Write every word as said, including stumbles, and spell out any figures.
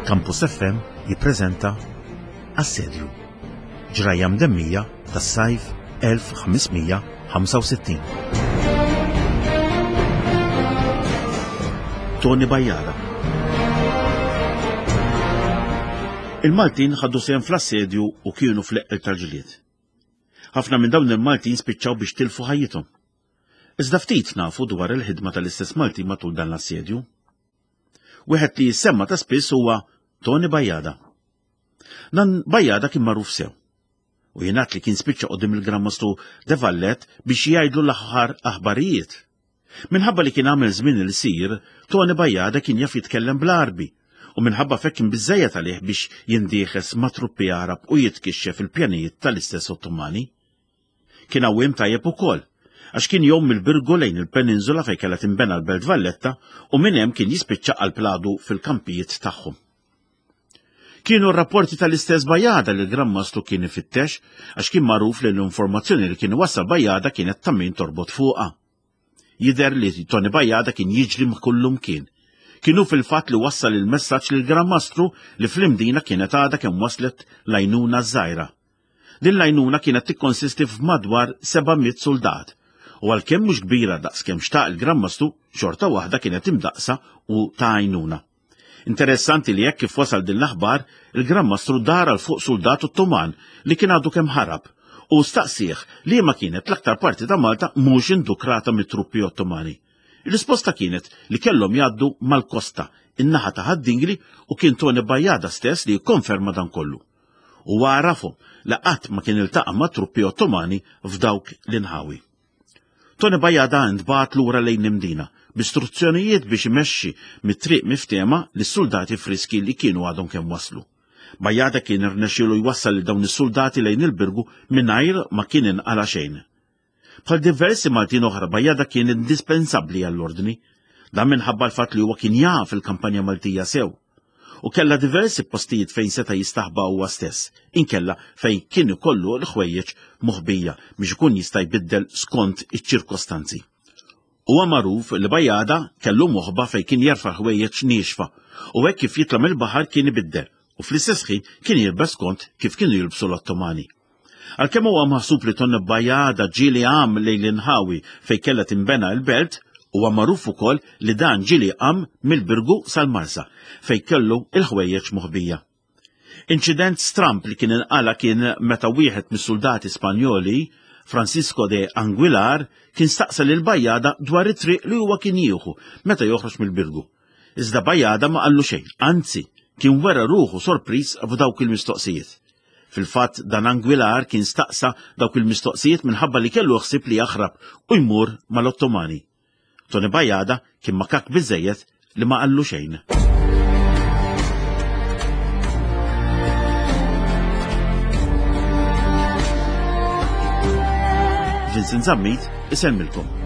Campus F M jippreżenta Assedju, ġrajja mdemmija tas-sajf elf ħames mija ħamsa u sittin. Toni Bajada. Il-Maltin ħadu sehem fl-assedju u kienu fl-eqqel tal-ġlied. Ħafna minn dawn il-Maltin spiċċaw biex tilfu ħajjithom. Iżda ftit nafu dwar il-ħidma tal-istess Maltin matul dan l-assedju. Wieħed li jissemma ta' spiss huwa Toni Bajada. Dan Bajada kien magħruf sew. U jingħad li kien spiċċa quddiem il-Gran Mastru de Valette biex jgħidlu l-aħħar aħbarijiet. Minħabba li kien għamel żmien il-sir, Toni Bajada kien jaf jitkellem bl-Għarbi, u minħabba fekk kien biżżejjed għalih biex jindieħes ma' truppi Għarab u jitkixxef il-pjanijiet tal-istess Ottomani. Kien għawiem tajjeb ukoll, għax kien jgħum mill-Birgu lejn il-peninsula fejn kellha tinbena l-Belt Valletta u minn hemm kien jispiċċa għal pladu fil-kampijiet tagħhom. Kienu r-rapporti tal-istess Bajada li l-Gran Mastru kien ifittex, għax kien magħruf li l-informazzjoni li kien iwassal Bajada kienet ta' min torbot fuqha. Jidher li Toni Bajada kien jiġri ma' kullum kien. Kienu fil-fatt li wassal il-messaġġ lil Gran Mastru li fl-Imdina kienet għadha kemm waslet l-għajnuna żgħira. Din l-għajnuna kienet tikkonsisti f'madwar seba' mitt soldat, u għalkemm mhux kbira daqs kemm xtaq il-Gran Mastru, xorta waħda kienet imdaqsa u ta' għajnuna. Interessanti li hekk kif wasal din l-aħbar, il-Gran Mastru dar għal fuq soldat Ottoman li kien għadu kemm ħarab u staqsih li ma kienet l-aktar parti ta' Malta mhux indukrata mit-truppi Ottomani. Ir-risposta kienet li kellhom jgħaddu mal-kosta, in-naħa ta' Ħad-Dingli, u kien Toni Bajada stess li jikkonferma dan kollu. U għarafhom li qatt ma kien iltaqa' ma' truppi Ottomani f'dawk l-inħawi. Toni Bajada ntbagħat lura lejn l-Imdina b'istruzzjonijiet biex imexxi mit-triq miftehma lis-soldati friski li kienu għadhom kemm waslu. Bajada kien irnexxielu jwassal lil dawn is-soldati lejn il-Birgu mingħajr ma kien inqala xejn. Bħal diversi Maltin oħra, Bajada kien indispensabbli għall-ordni, dan minħabba l-fatt li huwa kien jaf il-kampanja Maltija sew u kellha diversi postijiet fejn seta' jistaħba huwa stess, inkella fejn kien ikollu l-ħwejjeġ moħbija biex ikun jista' jbiddel skont iċ-ċirkostanzi. Huwa magħruf li Bajada kellu moħba fejn kien jerfa' ħwejjeġ niexfa u hekk kif jitla' mill-baħar kien ibiddel u fl-istess ħin kien jilbes skont kif kienu jilbsu l-Ottomani. Għalkemm huwa maħsub li Toni Bajada ġieli għam lejn l-inħawi fejn kellha tinbena l-belt, huwa magħruf ukoll li dan ġieli qam mill-Birgu sal-Marsa fejn kellu il-ħwejjeġ moħbija. Inċident stramp li kien inqala kien meta wieħed mis-soldati Spanjoli, Francisco de Anguilar, kien staqsa lil Bajada dwar it-triq li huwa kien jieħu meta joħroġ mill-Birgu. Iżda Bajada ma qallu xejn, anzi, kien wera ruħu sorpriż f'dawk il-mistoqsijiet. Fil-fatt dan Anguilar kien staqsa dawk il-mistoqsijiet minħabba li kellu ħsieb li jaħrab u jmur mal-Ottomani. Toni Bajada kien makak biżżejjed li ma qallu xejn. Vincent Zammit isellmilkom.